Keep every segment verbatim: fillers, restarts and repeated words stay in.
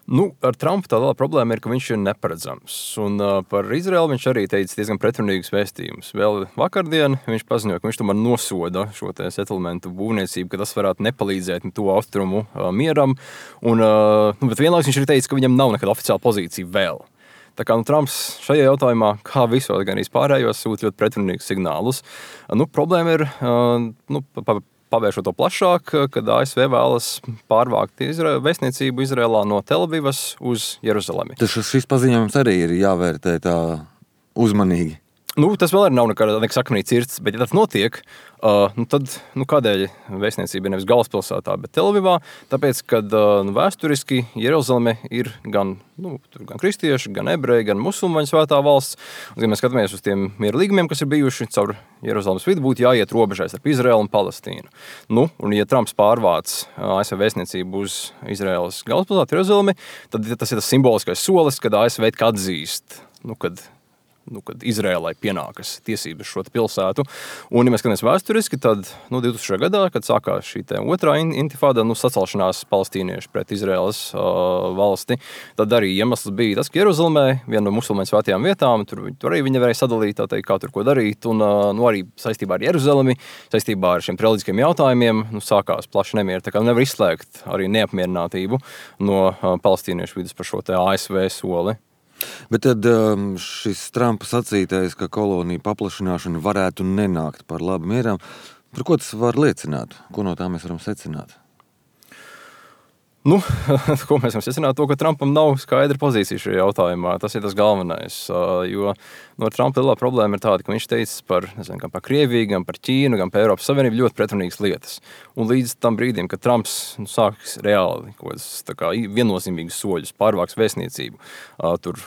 Nu, ar Trumpu tā lielā problēma ir, ka viņš ir neparedzams. Un uh, par Izraelu viņš arī teica diezgan pretrunīgus vēstījumus. Vēl vakardien viņš paziņoja, ka viņš tomēr nosoda šo te settlementu būvniecību, ka tas varētu nepalīdzēt to austrumu uh, mieram. Un, uh, nu, bet vienlaikus viņš arī teica, ka viņam nav nekāda oficiāla pozīcija vēl. Tā kā nu, Trumps šajā jautājumā, kā visos gan arī pārējos, sūta ļoti pretrunīgus signālus. Uh, nu, problēma ir uh, nu, pa, pa, pavēršot to plašāk, kad A S V vēlas pārvākt Izra- vēstniecību Izrēlā no Telavivas uz Jeruzalemi. Tas šis paziņojums arī ir jāvērtē tā uzmanīgi. Nu, tas vēl arī nav nekāda akmenī cirts, bet ja tas notiek, uh, nu tad nu, kādēļ vēstniecība ir nevis galvaspilsētā, bet Telavivā? Tāpēc, ka uh, nu, vēsturiski Jeruzaleme ir gan, nu, gan kristieši, gan ebreji, gan musulmaņu svētā valsts. Un, ja mēs skatāmies uz tiem miera līgumiem, kas ir bijuši caur Jeruzalemes vidu, būtu jāiet robežais ar Izraēlu un Palestīnu. Nu, un ja Trumps pārvāc A S V vēstniecību uz Izraēlas galvaspilsētu Jeruzalemi, tad tas ir tas simboliskais solis, kad A S V atzīst, nu, kad Nu, kad Izrēlai pienākas tiesības šo pilsētu. Un, ja mēs skatāmies vēsturiski, tad nu, divtūkstošajā gadā, kad sākās šī otrā intifāda, nu, sacelšanās palestīnieši pret Izrēlas uh, valsti, tad arī iemesls bija tas, ka Jeruzalemē, viena no musulmaņu svētajām vietām, tur, tur arī viņi nevarēja sadalīt, tā teikt, kā tur ko darīt. Un uh, nu, arī saistībā ar Jeruzalemi, saistībā ar šiem reliģiskiem jautājumiem, nu, sākās plaši nemieri. Tā kā nevar izslēgt arī neapmierinātību no uh, palestīniešu vidus par šo te A S V soli. Bet tad šis Trumpa sacītais, ka koloniju paplašināšana varētu nenākt par labu mieram, par ko tas var liecināt? Ko no tā mēs varam secināt? Nu, ko mēs varam secināt? To, ka Trumpam nav skaidra pozīcija šajā jautājumā. Tas ir tas galvenais. Jo no Trumpa lielā problēma ir tāda, ka viņš teica par, nezinu, gan par Krieviju, gan par Ķīnu, gan par Eiropas Savienību ļoti pretrunīgas lietas. Un līdz tam brīdim, kad Trumps nu, sāks reāli kaut kādas tā kā viennozīmīgas soļus, pārvāks vēstniecību, tur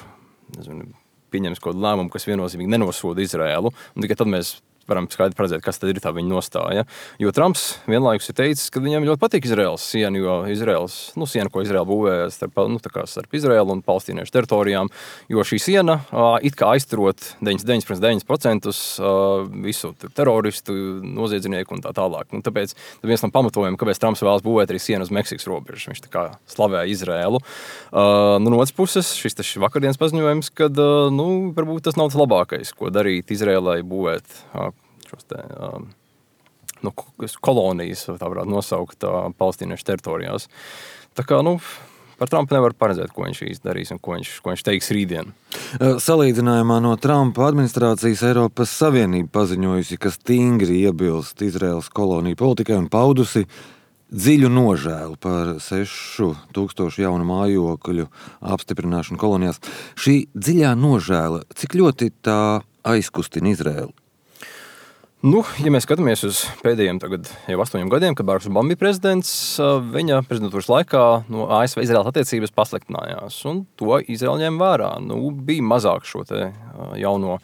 nezinu, pieņems kaut kādu lēmumu, kas viennozīmīgi nenosoda Izraēlu, un tikai tad mēs varam skaidri paredzēt, kas tad ir tā viņa nostāja. Jo Trumps vienlaikus ir teicis, ka viņam ļoti patīk Izraēlas siena, jo Izraēlas, nu, siena, ko Izraēla būvēja starp, nu, tā kā starp Izraēlu un palestīniešu teritorijām, jo šī siena uh, it kā aizturot deviņdesmit deviņi komats deviņi procenti uh, visu teroristu, noziedznieku un tā tālāk. Un tāpēc viens no pamatojumiem, kāpēc Trumps vēlas būvēt arī sienu uz Meksikas robežas. Viņš tā kā slavēja Izraēlu. Uh, nu, no otras puses, šis tas vakardienas paziņojums, kad uh, nu, varbūt tas nav tas labākais, ko darīt Izraēlai būvēt uh, šos te, um, nu, kolonijas, tā varētu nosaukt, uh, palestīniešu teritorijās. Tā kā, nu, par Trumpu nevar paredzēt, ko viņš īsti darīs un ko viņš, ko viņš teiks rītdien. Salīdzinājumā no Trumpa administrācijas Eiropas Savienība paziņojusi, ka stingri iebilst Izraēlas koloniju politikai un paudusi dziļu nožēlu par sešu tūkstošu jaunu mājokļu apstiprināšanu kolonijās. Šī dziļā nožēla, cik ļoti tā aizkustina Izraēlu? Nu, ja mēs skatāmies uz pēdējiem tagad jau astoņiem gadiem, kad Baraks Obama bija prezidents, viņa prezidentūras laikā no A S V Izraēlas attiecības pasliktinājās, un to Izraēla ņem vērā. Nu, bija mazāk šo te jauno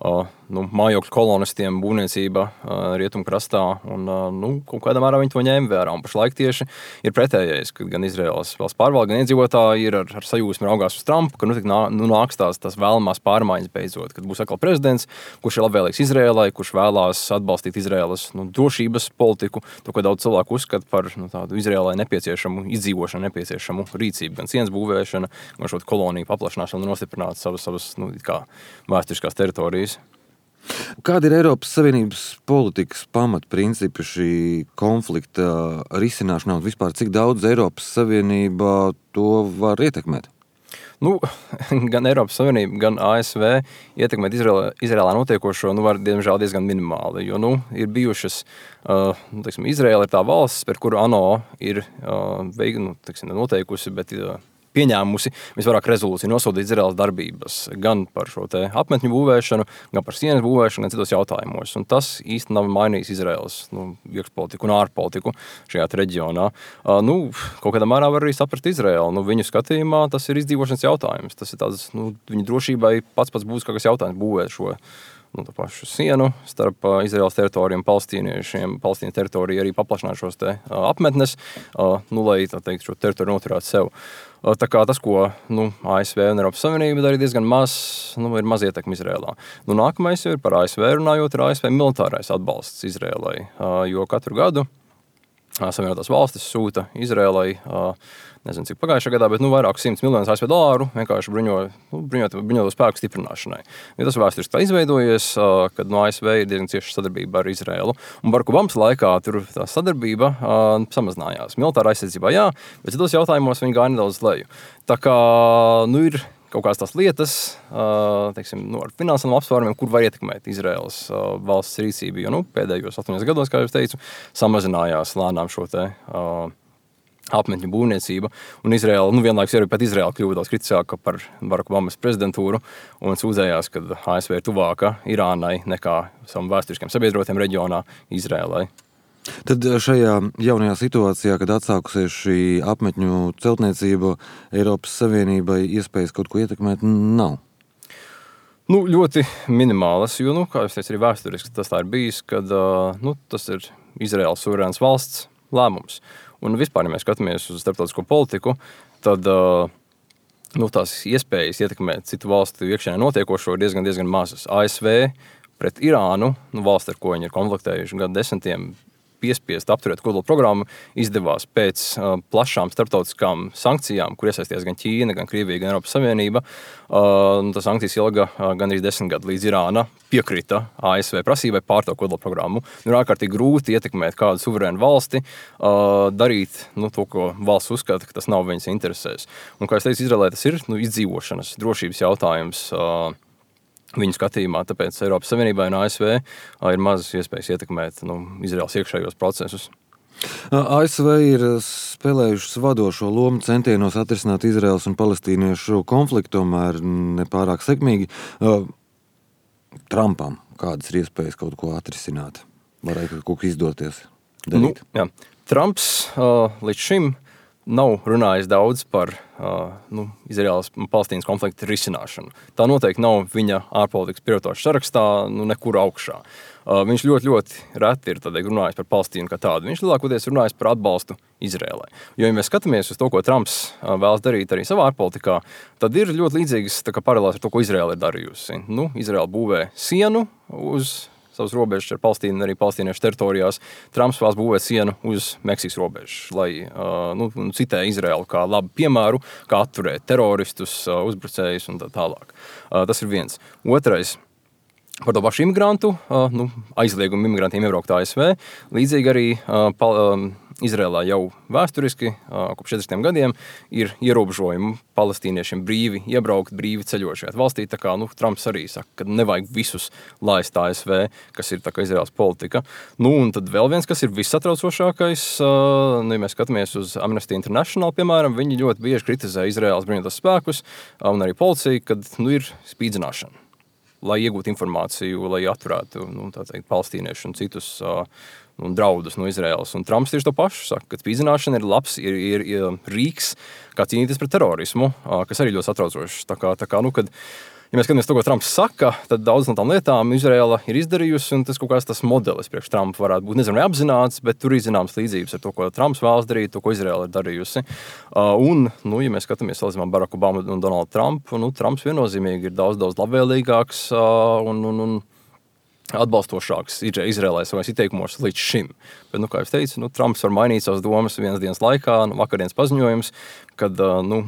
Uh, nu, mājokļu kolonistiem būvniecība uh, rietumkrastā, un uh, nu, kaut kādā mērā viņi to ņēma vērā. Un pašlaik tieši ir pretējais, ka gan Izraēlas valsts pārvalde, gan iedzīvotāji ir ar, ar sajūsmu raugās uz Trumpu, ka nu, nā, nu, nāks tās, tās vēlamās pārmaiņas beidzot, kad būs atkal prezidents, kurš ir labvēlīgs Izraēlai, kurš vēlās atbalstīt Izraēlas nu, drošības politiku, to, ko daudz cilvēku uzskata par nu, tādu Izraēlai nepieciešamu izdzīvošanu, nepieciešamu rīcību, gan sienas būvēšana, gan šo koloniju paplašināšanu un nostiprināt savas, savas nu, kā vēsturiskās teritorijas. Kāda ir Eiropas Savienības politikas pamatprincipi šī konflikta risināšanā un vispār cik daudz Eiropas Savienība to var ietekmēt? Nu, gan Eiropas Savienība, gan A S V ietekmēt Izraēlā, Izraēlā notiekošo, nu, var diemžēl diezgan minimāli, jo, nu, ir bijušas, uh, nu, teiksim, Izraēla ir tā valsts, par kuru ANO ir uh, veik, nu, teiksim, noteikusi, bet uh, pieņēmusi visvairāk rezolūciju nosodīt Izraēlas darbības, gan par šo te apmetņu būvēšanu, gan par sienas būvēšanu, gan citos jautājumos. Un tas īsti nav mainījis Izraēlas nu, iekšpolitiku un ārpolitiku šajā reģionā. Uh, nu, kaut kādā mērā var arī saprast Izraēlu. Nu, viņu skatījumā tas ir izdzīvošanas jautājums. Tas ir tāds, nu, viņu drošībai pats pats būs kaut kas jautājums būvēt šo nu, tā pašu sienu starp uh, Izraēlas teritorijiem, palestīniešiem, Palestīnas teritoriju arī paplašināt šos te uh, apmetnes, uh, nu, lai, tā teikt, šo teritoriju noturētu sev. Uh, tā kā tas, ko nu, A S V un Eiropas Savienība darīja diezgan maz, nu, ir maz ietekmi Izraēlā. Nu, nākamais ir par A S V runājot, ir A S V militārais atbalsts Izraēlai, uh, jo katru gadu Savienotās valstis sūta Izrēlai, nezinu, cik pagājušā gadā, bet nu, vairāk simts miljonus A S V dolāru vienkārši bruņo, nu, bruņot, bruņoto spēku stiprināšanai. Ja tas vēsturiski tā izveidojies, kad no A S V ir diezgan cieša sadarbība ar Izrēlu. Un Baraka Obamas laikā tur tā sadarbība uh, samazinājās. Militāra aizsardzībā jā, bet citos jautājumos viņi gāja nedaudz leju. Tā kā nu, ir kaut kādas tās lietas, uh, teiksim, nu, ar finansiāliem apsvērumiem, kur var ietekmēt Izraēlas uh, valsts rīcību, jo nu, pēdējos astoņos gados, kā jau teicu, samazinājās lēnām šo te uh, apmetņu būvniecība, un Izraēla, nu vienlaikus arī pat Izraēla kļuva daudz kritisāka par Baraka Obamas prezidentūru un sūdzējās, ka A S V ir tuvāka Irānai nekā savam vēsturiskiem sabiedrotiem reģionā Izraēlai. Tad šajā jaunajā situācijā, kad atsākusies šī apmetņu celtniecība, Eiropas Savienībai iespējas kaut ko ietekmēt nav? Nu, ļoti minimālas, jo, nu, kā es teicu, arī vēsturiski tas tā ir bijis, kad nu, tas ir Izraēlas suverēns valsts lēmums. Un vispār, ja mēs skatāmies uz starptautisko politiku, tad uh, nu, tās iespējas ietekmēt citu valstu iekšienē notiekošo ir diezgan, diezgan mazas. A S V pret Irānu, nu, valsts, ar ko viņi ir konfliktējuši gadu desmitiem, piespiest apturēt kodola programmu, izdevās pēc uh, plašām starptautiskām sankcijām, kur iesaistījās gan Ķīna, gan Krievija, gan Eiropas Savienība. Uh, tas sankcijas ilga uh, gandrīz desmit gadu, līdz Irāna piekrita A S V prasībai pārtraukt kodola programmu. Nu, ir ārkārtīgi grūti ietekmēt kādu suverēnu valsti, uh, darīt nu, to, ko valsts uzskata, ka tas nav viņas interesēs. Un, kā es teicu, Izraēlē tas ir nu, izdzīvošanas, drošības jautājums uh, viņu skatījumā, tāpēc Eiropas Savienībai un A S V ir mazas iespējas ietekmēt nu, Izraēlas iekšējos procesus. A S V ir spēlējušas vadošo lomu centienos atrisināt Izraēlas un palestīniešu konfliktu, tomēr nepārāk sekmīgi. Trumpam kādas ir iespējas kaut ko atrisināt? Varētu kaut ko izdoties darīt? Nu, jā. Trumps uh, līdz šim nav runājis daudz par uh, nu, Izraēlas un Palestīnas konflikta risināšanu. Tā noteikti nav viņa ārpolitikas prioritāšu sarakstā, nu, nekur augšā. Uh, viņš ļoti, ļoti reti ir tādēļ runājis par Palestīnu kā tādu. Viņš lielākoties runājis par atbalstu Izraēlai. Jo, ja mēs skatāmies uz to, ko Trumps uh, vēlas darīt arī savā ārpolitikā, tad ir ļoti līdzīgas tā kā paralēls ar to, ko Izraēla ir darījusi. Nu, Izraēla būvē sienu uz savas robežas ar Palestīnu, arī palestīniešu teritorijās. Trumps vēlas būvēt sienu uz Meksikas robežas, lai uh, nu, citē Izraēlu kā labu piemēru, kā atturēt teroristus, uh, uzbrucējus un tā tālāk. Uh, tas ir viens. Otrais. Par to pašu imigrantu, uh, nu, aizliegumu imigrantiem iebraukt A S V. Līdzīgi arī uh, pal, um, Izraēlā jau vēsturiski, uh, kopš četrdesmitiem gadiem, ir ierobežojumi palestīniešiem brīvi iebraukt, brīvi ceļot šajā valstī. Tā kā nu, Trumps arī saka, ka nevajag visus laist A S V, kas ir tā kā Izraēlas politika. Nu, un tad vēl viens, kas ir vissatraucošākais, uh, nu, ja mēs skatāmies uz Amnesty International, piemēram, viņi ļoti bieži kritizē Izraēlas bruņotos spēkus uh, un arī policiju, kad nu, ir spīdzināšana, lai iegūtu informāciju, lai atturētu nu, teikt, palestīniešu un citus uh, nu, draudus no Izraēlas. Un Trumps tieši to pašu saka, ka spīdzināšana ir labs, ir, ir, ir rīks, kā cīnīties pret terorismu, uh, kas arī ļoti satraucošs. Tā kā, tā kā, nu, kad, ja mēs skatāmies to, ko Trumps saka, tad daudz no tām lietām Izraēla ir izdarījusi, un tas kaut kāds tas modelis priekš Trumpa varētu būt, nezinu, apzināts, bet tur ir zināmas līdzības ar to, ko Trumps vēlas darīt, to, ko Izraēla ir darījusi. Uh, un, nu, ja mēs skatāmies salīdzinām Baraka Obamu un Donaldu Trumpu, nu, Trumps viennozīmīgi ir daudz, daudz labvēlīgāks uh, un, un, un atbalstošāks Izraēlai savais ieteikumos līdz šim. Bet, nu, kā es teicu, nu, Trumps var mainīt savas domas vienas dienas laikā, nu, vakardienas paziņojums, kad, uh, nu,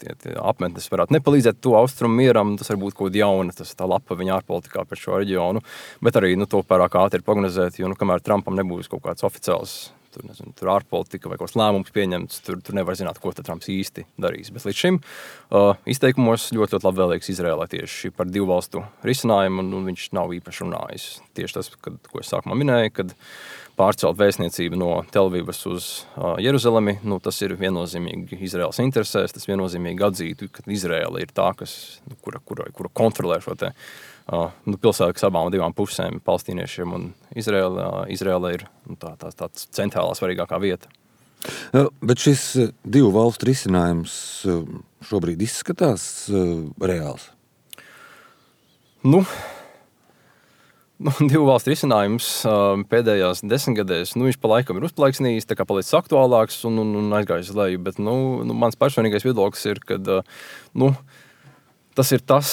Tie, tie apmetnes varētu nepalīdzēt to austrumu mieram, tas var būt kaut jauna, tas tā lapa viņa ārpolitikā par šo reģionu, bet arī nu, to pārāk ātri ir prognozēt, jo nu, kamēr Trumpam nebūs kaut kāds oficiāls tur, nezinu, tur ārpolitika vai kaut kāds lēmums pieņemts, tur, tur nevar zināt, ko tad Trumps īsti darīs. Bet līdz šim uh, izteikumos ļoti, ļoti labvēlīgs Izraēlai tieši par divu valstu risinājumu, un, un viņš nav īpaši runājis. Tieši tas, kad, ko es sākumā minēju, kad pārcelt vēstniecību no Telvivas uz uh, Jeruzalemi, nu, tas ir viennozīmīgi Izraēlas interesēs, tas viennozīmīgi atzītu, ka Izraēla ir tā, kas, nu, kura, kura, kura kontrolē šo te uh, nu, pilsētu, kas abām divām pusēm, palestīniešiem un Izraēla, uh, Izraēla ir nu, tā, tā, tāds centrālā svarīgākā vieta. Bet šis divu valstu risinājums šobrīd izskatās uh, reāls? Nu, Nu, divu valstu risinājums uh, pēdējās desmitgadēs, nu, viņš pa laikam ir uzplaiksnījis, tā kā palicis aktuālāks un, un, un aizgājis uz leju, bet, nu, nu, mans personīgais viedoklis ir, ka, uh, nu, Tas ir tas,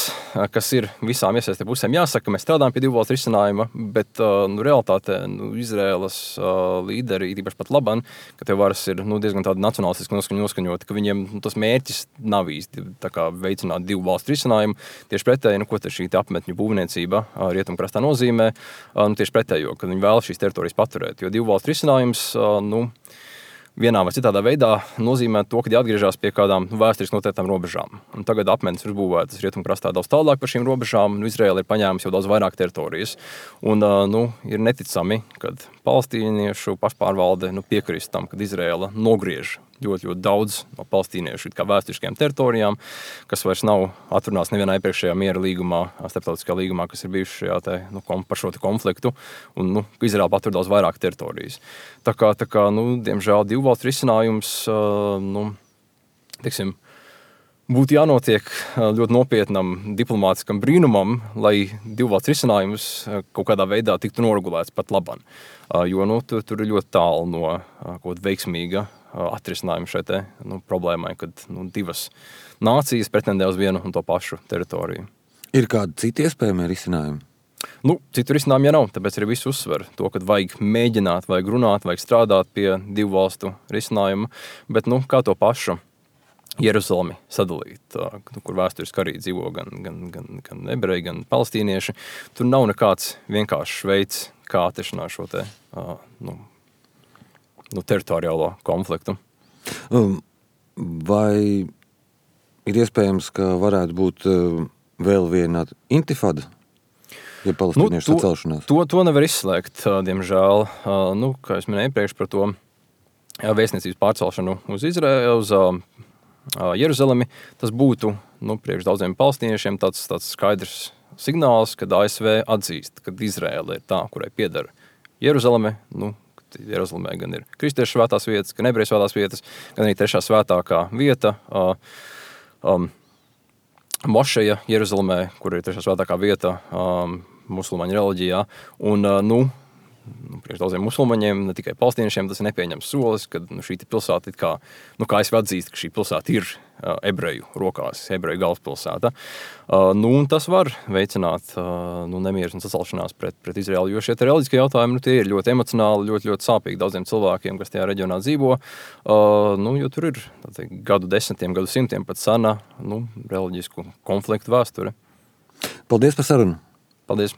kas ir visām iesaistītām pusēm jāsaka, ka mēs strādājam pie divu valstu risinājuma, bet nu, realitātē nu, Izraēlas uh, līderi, īpaši pat Laban, ka tie varas ir nu, diezgan tādi nacionālistiski noskaņoti, ka viņiem nu, tas mērķis nav īsti tā kā veicināt divu valstu risinājumu. Tieši pretēji, nu, ko te šī te apmetņu būvniecība uh, rietumkrastā nozīmē, uh, nu, tieši pretējo, ka viņi vēlas šīs teritorijas paturēt, jo divu valstu risinājums, uh, nu, vienā vai citādā veidā nozīmē to, ka jāatgriežas pie kādām vēsturiski noteiktām robežām. Un tagad apmetnes ir būvētas rietumkrastā daudz tālāk par šīm robežām, un Izraēla ir paņēmusi jau daudz vairāk teritorijas. Un, nu, ir neticami, kad palestīniešu pašpārvalde nu, piekrist tam, kad Izraēla nogriež ļoti, ļoti daudz no palestīniešu kā vēsturiskajām teritorijām, kas vairs nav atrunāts nevienā iepriekšējā miera līgumā, starptautiskā līgumā, kas ir bijuši šajā te, nu, par šo te konfliktu, un nu, Izraēla patur daudz vairāk teritorijas. Tā kā, tā kā nu, diemžēl divu valstu risinājums, nu, teiksim, būtu jānotiek ļoti nopietnam diplomātiskam brīnumam, lai divu valstu risinājums kaut kādā veidā tiktu noregulēts pat labam. Jo nu, tur, tur ir ļoti tālu no kaut kāda veiksmīga atrisinājuma šai te, nu, problēmai, kad nu, divas nācijas pretendē uz vienu un to pašu teritoriju. Ir kādi citi iespējami risinājumi? Nu, citu risinājumu ja nav, tāpēc arī visu uzsver to, ka vajag mēģināt, vajag runāt, vajag strādāt pie divu valstu risinājuma, bet nu, kā to pašu Jeruzalemi sadalīt, kur vēsturiski arī dzīvo gan, gan, gan, gan ebreji, gan palestīnieši. Tur nav nekāds vienkāršs veids, kā atrisināt šo te, nu, nu, teritoriālo konfliktu. Vai ir iespējams, ka varētu būt vēl viena intifada, ja palestīniešu nu, to, sacelšanās? To, to nevar izslēgt, diemžēl. Nu, kā es minēju iepriekš par to vēstniecības pārcelšanu uz Izraēlu, uz Jeruzalemi, tas būtu nu, priekš daudziem palestīniešiem tāds, tāds skaidrs signāls, kad A S V atzīst, ka Izraēla ir tā, kurai pieder Jeruzaleme. Nu, Jeruzalemē gan ir kristiešu svētās vietas, gan ebreju svētās vietas, gan arī trešā svētākā vieta, uh, um, mošeja Jeruzalemē, kur ir trešā svētākā vieta um, musulmaņu reliģijā. Un, uh, nu, Nu, priekš daudziem musulmaņiem, ne tikai palestīniešiem, tas ir nepieņems solis, kad nu, šī pilsēta, kā, nu, kā es atzīstu, ka šī pilsēta ir uh, ebreju rokās, ebreju galvaspilsēta. Uh, nu, un tas var veicināt uh, nu, nemieru un sacelšanās pret, pret Izraēlu, jo šie reliģiskie jautājumi nu, tie ir ļoti emocionāli, ļoti, ļoti sāpīgi daudziem cilvēkiem, kas tajā reģionā dzīvo, uh, nu, jo tur ir teikt, gadu desmitiem, gadu simtiem pat sena nu, reliģisku konfliktu vēsture. Paldies par sarunu! Paldies!